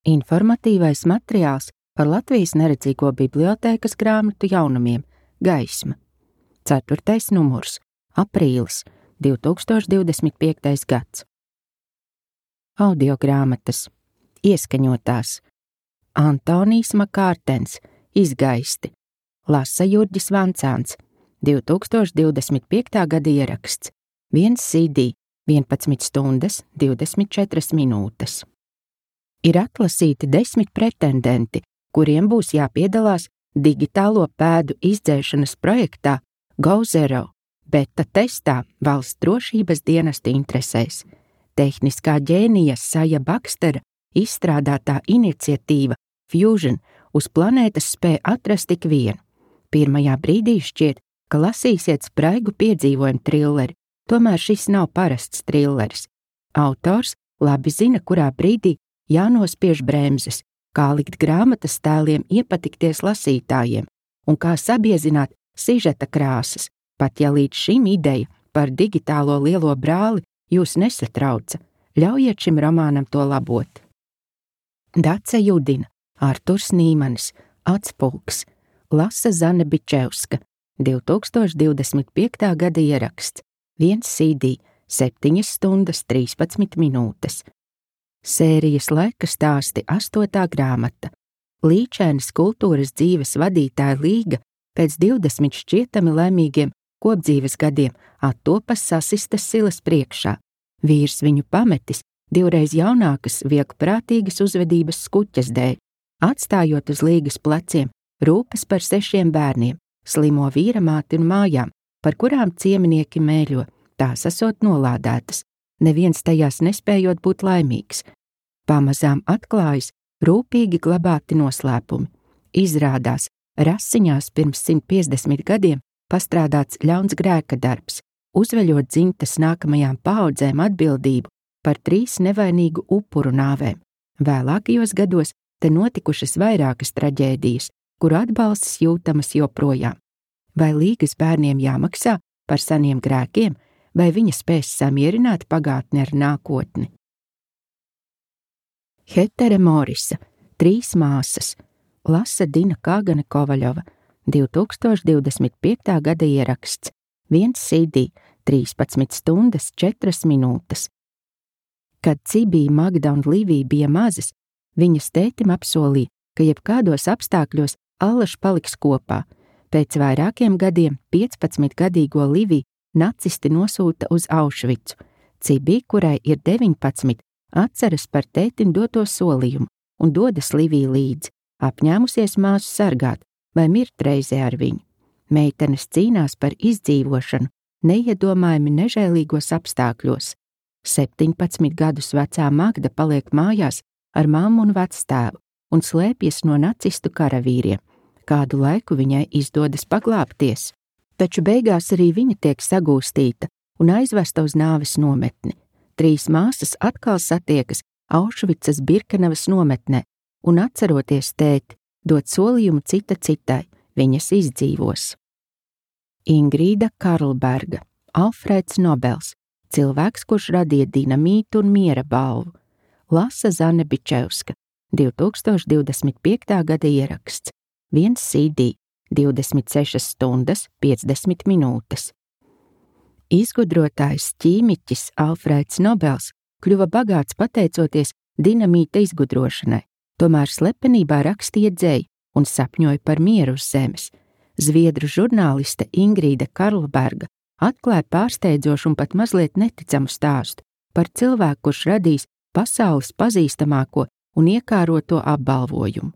Informatīvais materiāls par Latvijas neredzīgo bibliotēkas grāmatu jaunumiem Gaisma. 4. numurs. Aprīlis 2025. gads. Audiogrāmatas. Ieskaņotās. Antonijs Makārtens. Izgaisti. Lasa Jurģis Vancāns. 2025. gada ieraksts. 1 CD. 11 stundas 24 minūtes. Ir atlasīti 10 pretendenti, kuriem būs jāpiedalās digitālo pēdu izdzēšanas projektā GoZero beta testā valsts drošības dienesta interesēs. Tehniskā ģēnija Saja Bakstera izstrādātā iniciatīva Fusion uz planētas spēj atrast tik vienu. Pirmajā brīdī šķiet, ka lasīsiet spraigu piedzīvojumu trilleri, tomēr šis nav parasts trilleris. Autors labi zina, kurā brīdī jānospiež bremzes, kā likt grāmatas tēliem iepatikties lasītājiem un kā sabiezināt sižeta krāsas, pat ja līdz šim ideja par digitālo lielo brāli jūs nesatrauca, ļaujiet šim romānam to labot. Dace Judina, Arturs Nīmanis, Atspulks, lasa Zane Bičevska, 2025. gada ieraksts, 1 CD, 7 stundas 13 minūtes. Sērijas laika stāsti 8. grāmata. Līčēnas kultūras dzīves vadītāja Līga pēc 20 šķietami laimīgiem kopdzīves gadiem attopas sasistas silas priekšā. Vīrs viņu pametis, divreiz jaunākas, vieglprātīgas uzvedības skuķes dēļ, atstājot uz Līgas pleciem rūpes par 6 bērniem, slimo vīramāti un mājām, par kurām cieminieki mēļo, tās esot nolādētas, neviens tajās nespējot būt laimīgs. Pamazām atklājas rūpīgi glabāti noslēpumi. Izrādās, rasiņās pirms 150 gadiem pastrādāts ļauns grēka darbs, uzveļot dzimtas nākamajām paaudzēm atbildību par 3 nevainīgu upuru nāvēm. Vēlākajos gados te notikušas vairākas traģēdijas, kuru atbalsts jūtamas joprojām. Vai Līgas bērniem jāmaksā par seniem grēkiem, vai viņa spēs samierināt pagātni ar nākotni? Hetere Morisa, 3 māsas, lasa Dina Kāgane Kovaļova, 2025. gada ieraksts, 1 CD, 13 stundas 4 minūtes. Kad Cibija, Magda un Livija bija mazas, viņas tētim apsolīja, ka jebkādos apstākļos allaž paliks kopā. Pēc vairākiem gadiem 15-gadīgo Liviju nacisti nosūta uz Aušvicu. Cibija, kurai ir 19, atceras par tētim doto solījumu un dodas Liviju līdzi, apņēmusies māsu sargāt vai mirt reizē ar viņu. Meitenes cīnās par izdzīvošanu neiedomājami nežēlīgos apstākļos. 17 gadus vecā Magda paliek mājās ar mammu un vectēvu un slēpjas no nacistu karavīriem. Kādu laiku viņai izdodas paglābties, taču beigās arī viņa tiek sagūstīta un aizvesta uz nāves nometni. 3 māsas atkal satiekas Aušvicas Birkenavas nometnē un, atceroties tēti, dod solījumu cita citai, viņas izdzīvos. Ingrīda Karlberga, Alfrēds Nobels, cilvēks, kurš radīja dinamītu un miera balvu, lasa Zane Bičevska, 2025. gada ieraksts, 1 CD, 26 stundas 50 minūtes. Izgudrotājs ķīmiķis Alfrēds Nobels kļuva bagāts pateicoties dinamīta izgudrošanai, tomēr slepenībā rakstīja dzeju un sapņoja par mieru uz zemes. Zviedru žurnāliste Ingrīda Karlberga atklāja pārsteidzošu un pat mazliet neticamu stāstu par cilvēku, kurš radīs pasaules pazīstamāko un iekāroto apbalvojumu.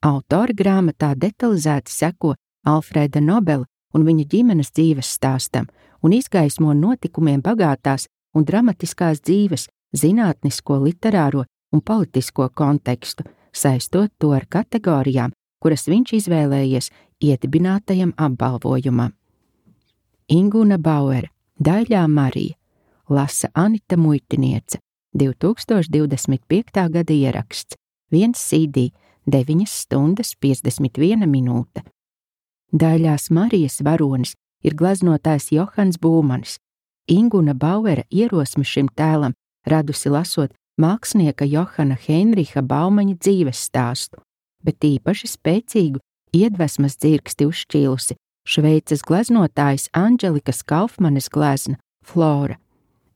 Autori grāmatā detalizēti seko Alfrēda Nobela un viņa ģimenes dzīves stāstam un izgaismo notikumiem bagātās un dramatiskās dzīves, zinātnisko, literāro un politisko kontekstu, saistot to ar kategorijām, kuras viņš izvēlējies iedibinātajam apbalvojumam. Inguna Bauere, Daļā Marija, lasa Anita Muitiniece, 2025. gada ieraksts, 1 CD, 9 stundas 51 minūte. Daļās Marijas varonis ir glaznotājs Johans Būmanis. Inguna Bauere ierosmi šim tēlam radusi lasot mākslinieka Johana Heinricha Baumaņa dzīves stāstu, bet īpaši spēcīgu iedvesmas dzirksti uzšķīlusi Šveices gleznotājas Andželikas Kaufmanes glezna Flora.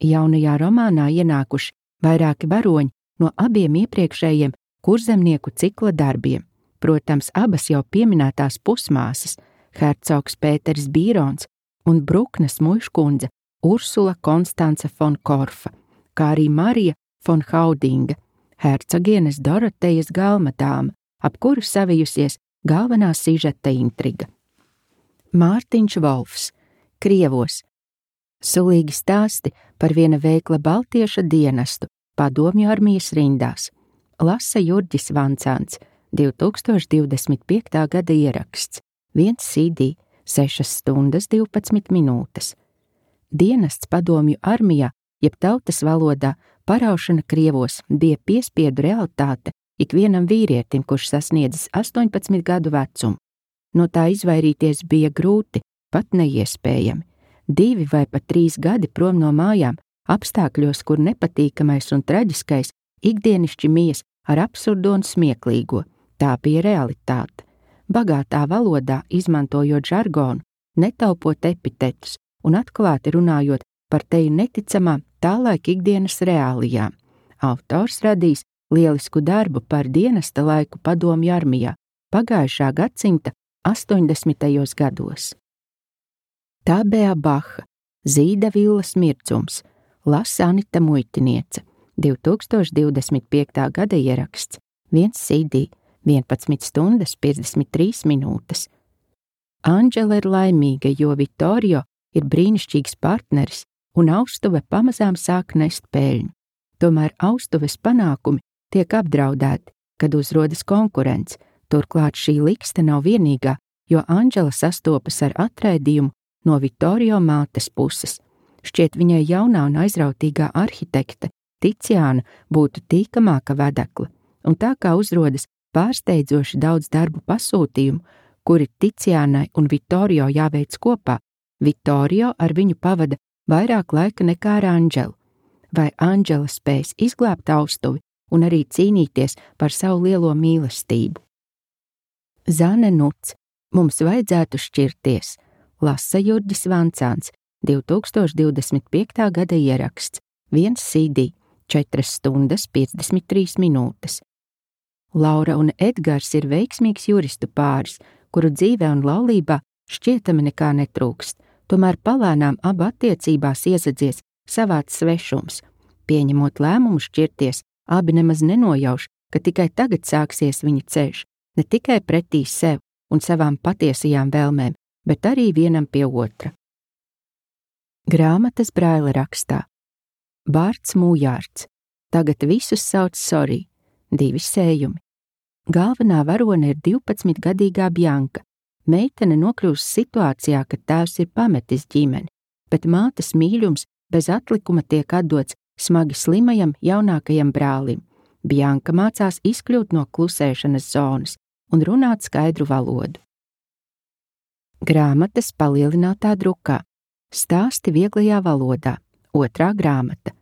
Jaunajā romānā ienākuši vairāki varoņi no abiem iepriekšējiem kurzemnieku cikla darbiem, protams, abas jau pieminētās pusmāsas, hercogs Pēters Bīrons un Bruknes muižkundze Ursula Konstance fon Korfa, kā arī Marija fon Haudinga, hercogienes Dorotejas galmadāma, ap kuru savijusies galvenā sižeta intriga. Mārtiņš Volfs, Krievos. Sulīgi stāsti par viena veikla baltieša dienestu padomju armijas rindās. Lasa Jurģis Vancāns, 2025. gada ieraksts, 1 CD, 6 stundas 12 minūtes. Dienests padomju armijā, jeb tautas valodā, paraušana Krievos bija piespiedu realitāte ikvienam vīrietim, kurš sasniedzis 18 gadu vecumu. No tā izvairīties bija grūti, pat neiespējami. 2 vai pat 3 gadi prom no mājām, apstākļos, kur nepatīkamais un traģiskais ikdienišķi mies ar absurdo un smieklīgo. Tā bija realitāte. Bagātā valodā, izmantojot žargonu, netaupot epitetus un atklāti runājot par teju neticamām tālaik ikdienas reālijām. Autors radīs lielisku darbu par dienesta laiku padomju armijā pagājušā gadsimta 80. gados. Tabea Baha, Zīda Villas mirdzums, lasa Anita Muitiniece, 2025. gada ieraksts, 1 CD, 11 stundas 53 minūtes. Anģela ir laimīga, jo Vittorio ir brīnišķīgs partneris un austuve pamazām sāk nest peļņu. Tomēr austuves panākumi tiek apdraudēti, kad uzrodas konkurence. Turklāt šī likste nav vienīgā, jo Anģela sastopas ar atraidījumu no Vittorio mātes puses. Šķiet, viņai jaunā un aizrautīgā arhitekte Ticiāna būtu tīkamāka vedekla, un tā kā uzrodas pārsteidzoši daudz darbu pasūtījumu, kuri Ticiānai un Vittorio jāveic kopā, Vittorio ar viņu pavada vairāk laika nekā ar Anģelu. Vai Anģela spēs izglābt austuvi un arī cīnīties par savu lielo mīlestību? Zane Nuts, mums vajadzētu šķirties, lasa Jurģis Vancāns, 2025. gada ieraksts, 1 CD, 4 stundas 53 minūtes. Laura un Edgars ir veiksmīgs juristu pāris, kuru dzīvē un laulībā šķietami nekā netrūkst, tomēr palēnām abu attiecībās iezadzies savāds svešums. Pieņemot lēmumu šķirties, abi nemaz nenojauš, ka tikai tagad sāksies viņa ceļš, ne tikai pretī sev un savām patiesajām vēlmēm, bet arī vienam pie otra. Grāmatas Braila rakstā. Bārts Mūjārds, tagad visus sauc Sorī, 2 sējumi. Galvenā varone ir 12-gadīgā Bjanka. Meitene nokļūst situācijā, kad tēvs ir pametis ģimeni, bet mātes mīļums bez atlikuma tiek atdots smagi slimajam jaunākajam brālim. Bjanka mācās izkļūt no klusēšanas zonas un runāt skaidru valodu. Grāmatas palielinātā drukā. Stāsti vieglajā valodā. 2. grāmata.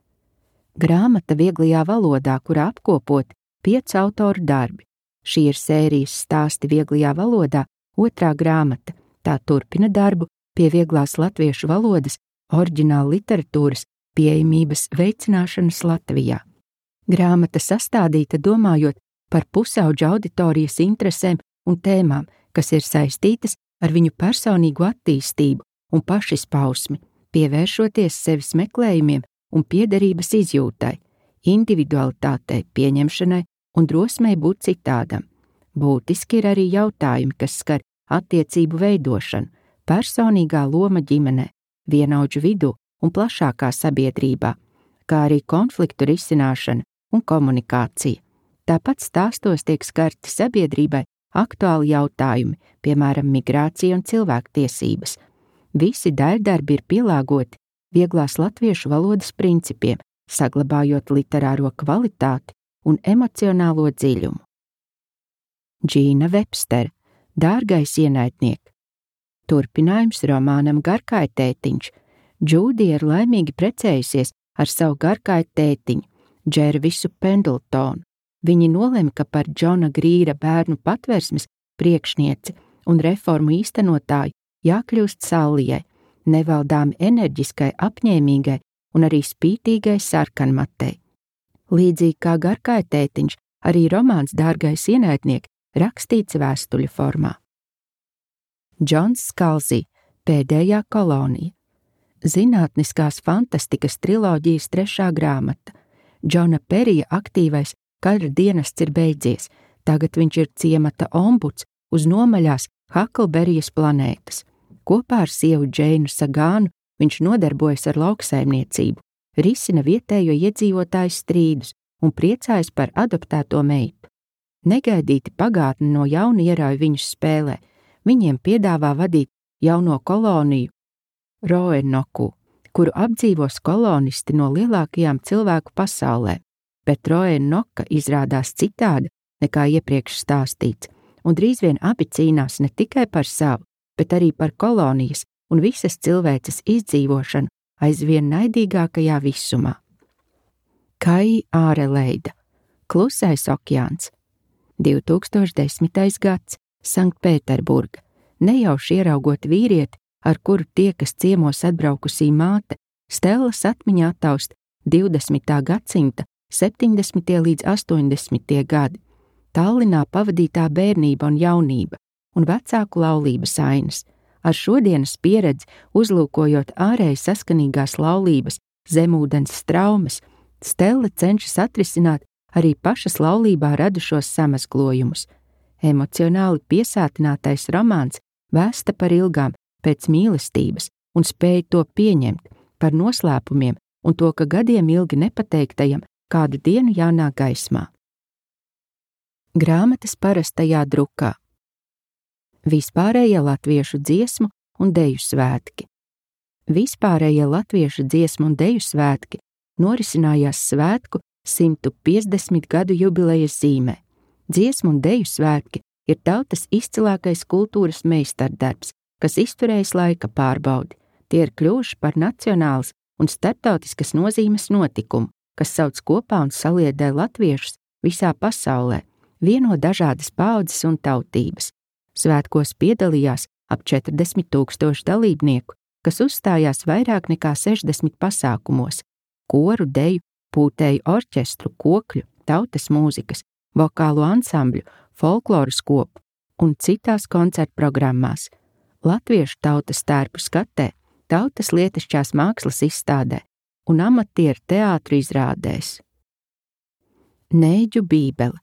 Grāmata vieglajā valodā, kurā apkopoti 5 autoru darbi. Šī ir sērijas Stāsti vieglajā valodā 2. grāmata. Tā turpina darbu pie vieglās latviešu valodas oriģināla literatūras pieejamības veicināšanas Latvijā. Grāmata sastādīta domājot par pusauģa auditorijas interesēm un tēmām, kas ir saistītas ar viņu personīgu attīstību un pašizpausmi, pievēršoties sevis meklējumiem un piederības izjūtai, individualitātei, pieņemšanai un drosmei būt citādam. Būtiski ir arī jautājumi, kas skar attiecību veidošanu, personīgā loma ģimenē, vienaudžu vidū un plašākā sabiedrībā, kā arī konfliktu risināšana un komunikācija. Tāpat stāstos tiek skarti sabiedrībai aktuāli jautājumi, piemēram, migrācija un cilvēktiesības. Visi daļdarbi ir pielāgoti vieglās latviešu valodas principiem, saglabājot literāro kvalitāti un emocionālo dziļumu. Džīna Vepstere, Dārgais ienaidniek. Turpinājums romānam Garkāja tētiņš. Džūdija ir laimīgi precējusies ar savu Garkāja tētiņu. Džervisu Pendletonu. Viņi nolēma, ka par Džona Grīra bērnu patversmes priekšnieci un reformu īstenotāju jākļūst Sallijai, nevaldāmi enerģiskai, apņēmīgai un arī spītīgai sarkanmatei. Līdzīgi kā Garkai tētiņš, arī romāns Dārgais ienaidnieks rakstīts vēstuļu formā. Džons Skalzī, Pēdējā kolonija. Zinātniskās fantastikas triloģijas 3. grāmata. Džona Perija aktīvais kara dienests ir beidzies, tagad viņš ir ciemata ombuds uz nomaļās Haklberijas planētas. Kopā ar sievu Džeinu Sagānu viņš nodarbojas ar lauksaimniecību, risina vietējo iedzīvotāju strīdus un priecājas par adoptēto meitu. Negaidīti pagātne no jauna ierauj viņus spēlē, viņiem piedāvā vadīt jauno koloniju Roenoku, kuru apdzīvos kolonisti no lielākajām cilvēku pasaulē, bet Roenoka izrādās citāda nekā iepriekš stāstīts, un drīz vien abi cīnās ne tikai par savu, bet arī par kolonijas un visas cilvēces izdzīvošanu aizvien naidīgākajā visumā. Kai Āreleida, Klusais okeāns, 2010. gads, Sanktpēterburga, nejauši ieraugot vīrieti, ar kuru tiekas ciemos atbraukusī māte, Stellas atmiņā attaust 20. gadsimta 70. līdz 80. gadi, Tallinā pavadītā bērnība un jaunība un vecāku laulības ainas. Ar šodienas pieredzi, uzlūkojot ārēji saskanīgās laulības, zemūdens straumes, Stella cenšas atrisināt arī pašas laulībā radušos samazglojumus. Emocionāli piesātinātais romāns vēsta par ilgām pēc mīlestības un spēja to pieņemt, par noslēpumiem un to, ka gadiem ilgi nepateiktajam kādu dienu jānāk gaismā. Grāmatas parastajā drukā. Vispārējie latviešu dziesmu un deju svētki. Vispārējie latviešu dziesmu un deju svētki norisinājās svētku 150 gadu jubilejas zīmē. Dziesmu un deju svētki ir tautas izcilākais kultūras meistardarbs, kas izturējis laika pārbaudi. Tie ir kļuvuši par nacionālas un starptautiskas nozīmes notikumu, kas sauc kopā un saliedē latviešus visā pasaulē, vieno dažādas paaudzes un tautības. Svētkos piedalījās ap 40 000 dalībnieku, kas uzstājās vairāk nekā 60 pasākumos – koru, deju, pūtēju orķestru, kokļu, tautas mūzikas, vokālu ansambļu, folkloras kopu un citās koncertu programmās. Latviešu tautas tērpu skatē, tautas lietišķās mākslas izstādē un amatieru teātru izrādēs. Nēģu bībele.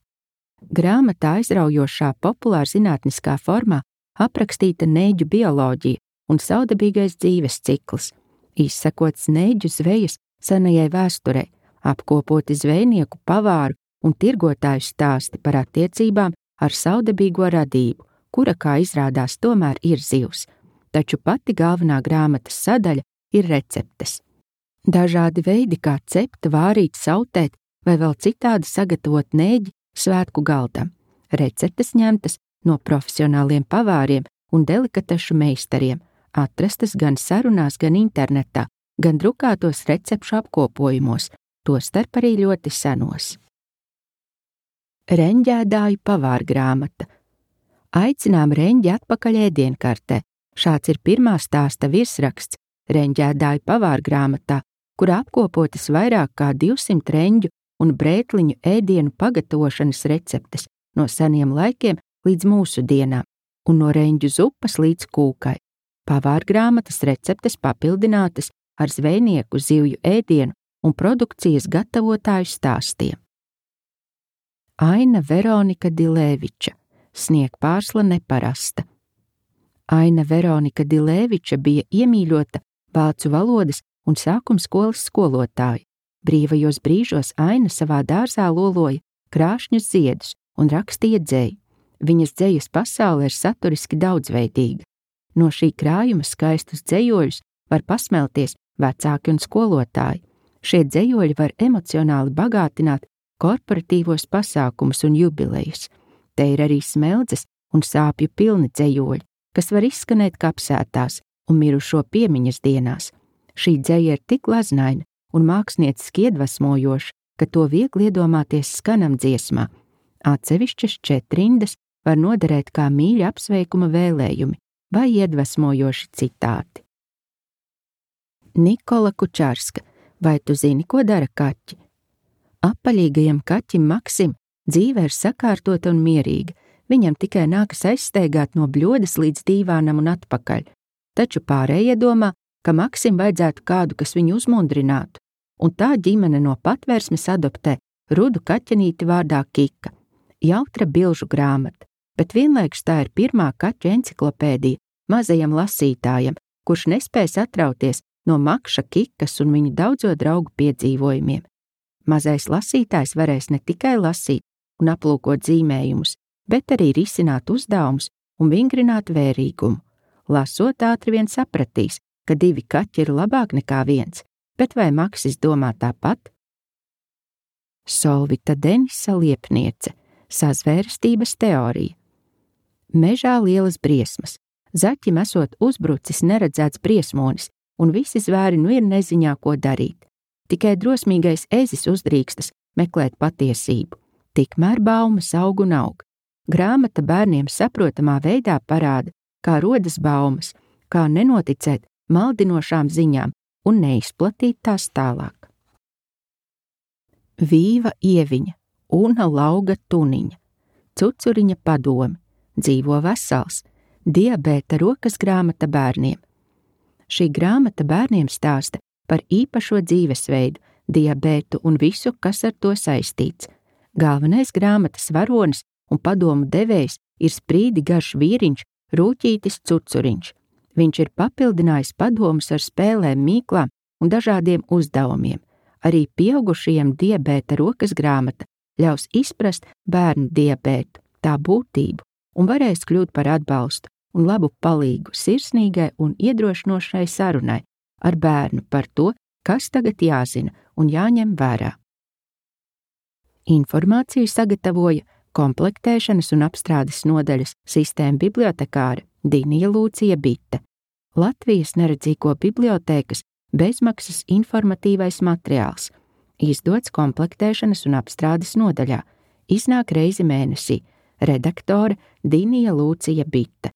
Grāmatā aizraujošā populāra zinātniskā formā aprakstīta nēģu bioloģija un savdabīgais dzīves cikls, izsakots nēģu zvejas senajai vēsturei, apkopoti zvejnieku, pavāru un tirgotāju stāsti par attiecībām ar savdabīgo radību, kura, kā izrādās, tomēr ir zivs, taču pati galvenā grāmatas sadaļa ir receptes. Dažādi veidi, kā cept, vārīt, sautēt vai vēl citādi sagatavot nēģi svētku galdam. Receptes ņemtas no profesionāliem pavāriem un delikatešu meistariem, atrastas gan sarunās, gan internetā, gan drukātos recepšu apkopojumos, tostarp arī ļoti senos. Reņģēdāju pavārgrāmata. Aicinām reņģi atpakaļ ēdienkartē. Šāds ir pirmā stāsta virsraksts Reņģēdāju pavārgrāmatā, kurā apkopotas vairāk kā 200 reņģu un brētliņu ēdienu pagatavošanas receptes no seniem laikiem līdz mūsu dienām, un no reņģu zupas līdz kūkai. Pavārgrāmatas receptes papildinātas ar zvejnieku, zivju ēdienu un produkcijas gatavotāju stāstiem. Aina Veronika Dilēviča, Sniegpārsla neparasta. Aina Veronika Dilēviča bija iemīļota vācu valodas un sākumskolas skolotāja. Brīvajos brīžos Aina savā dārzā loloja krāšņus ziedus un rakstīja dzeju. Viņas dzejas pasaule ir saturiski daudzveidīga. No šī krājuma skaistus dzejoļus var pasmelties vecāki un skolotāji. Šie dzejoļi var emocionāli bagātināt korporatīvos pasākumus un jubilejas. Te ir arī smeldzes un sāpju pilni dzejoļi, kas var izskanēt kapsētās un mirušo piemiņas dienās. Šī dzeja ir tik glaznaina un mākslinieciski iedvesmojoša, ka to viegli iedomāties skanam dziesmā. Atsevišķas 4 rindas var noderēt kā mīļa apsveikuma vēlējumi vai iedvesmojoši citāti. Nikola Kučārska, vai tu zini, ko dara kaķi? Apaļīgajam kaķim Maksim dzīve ir sakārtota un mierīga, viņam tikai nākas aizsteigāt no bļodas līdz dīvānam un atpakaļ, taču pārējie domā, ka Maksim vajadzētu kādu, kas viņu uzmundrinātu, un tā ģimene no Patvērsmes adoptē rudu kaķenīti vārdā Kika. Jautra bilžu grāmata, bet vienlaikus tā ir pirmā kaķu enciklopēdija mazajam lasītājam, kurš nespēs atrauties no Makša, Kikas un viņu daudzo draugu piedzīvojumiem. Mazais lasītājs varēs ne tikai lasīt un aplūkot zīmējumus, bet arī risināt uzdevumus un vingrināt vērīgumu. Lasot ātri vien sapratīs, ka 2 kaķi ir labāk nekā 1, bet vai Maksis domā tāpat? Solvita Denisa Liepniece, sazvērstības teorija. Mežā lielas briesmas. Zaķim esot uzbrucis neredzēts briesmonis, un visi zvēri nu ir neziņā, ko darīt. Tikai drosmīgais ezis uzdrīkstas meklēt patiesību. Tikmēr baumas aug un aug. Grāmata bērniem saprotamā veidā parāda, kā rodas baumas, kā nenoticēt maldinošām ziņām un neizplatīt tās tālāk. Vīva Ieviņa, Una Lauga Tuniņa, Cucuriņa padomi, Dzīvo vesels, diabēta rokas grāmata bērniem. Šī grāmata bērniem stāsta par īpašo dzīvesveidu, diabētu un visu, kas ar to saistīts. Galvenais grāmatas varonis un padomu devējs ir sprīdi garš vīriņš Rūķītis Cucuriņš. Viņš ir papildinājis padomus ar spēlēm, mīklām un dažādiem uzdevumiem. Arī pieaugušajiem diabēta rokas grāmata ļaus izprast bērnu diabētu, tā būtību, un varēs kļūt par atbalstu un labu palīgu sirsnīgai un iedrošinošai sarunai ar bērnu par to, kas tagad jāzina un jāņem vērā. Informāciju sagatavoja komplektēšanas un apstrādes nodaļas sistēma bibliotekāre Dinija Lūcija Bite, Latvijas neredzīgo bibliotēkas bezmaksas informatīvais materiāls, izdots komplektēšanas un apstrādes nodaļā, iznāk reizi mēnesī, redaktore Dinija Lūcija Bite.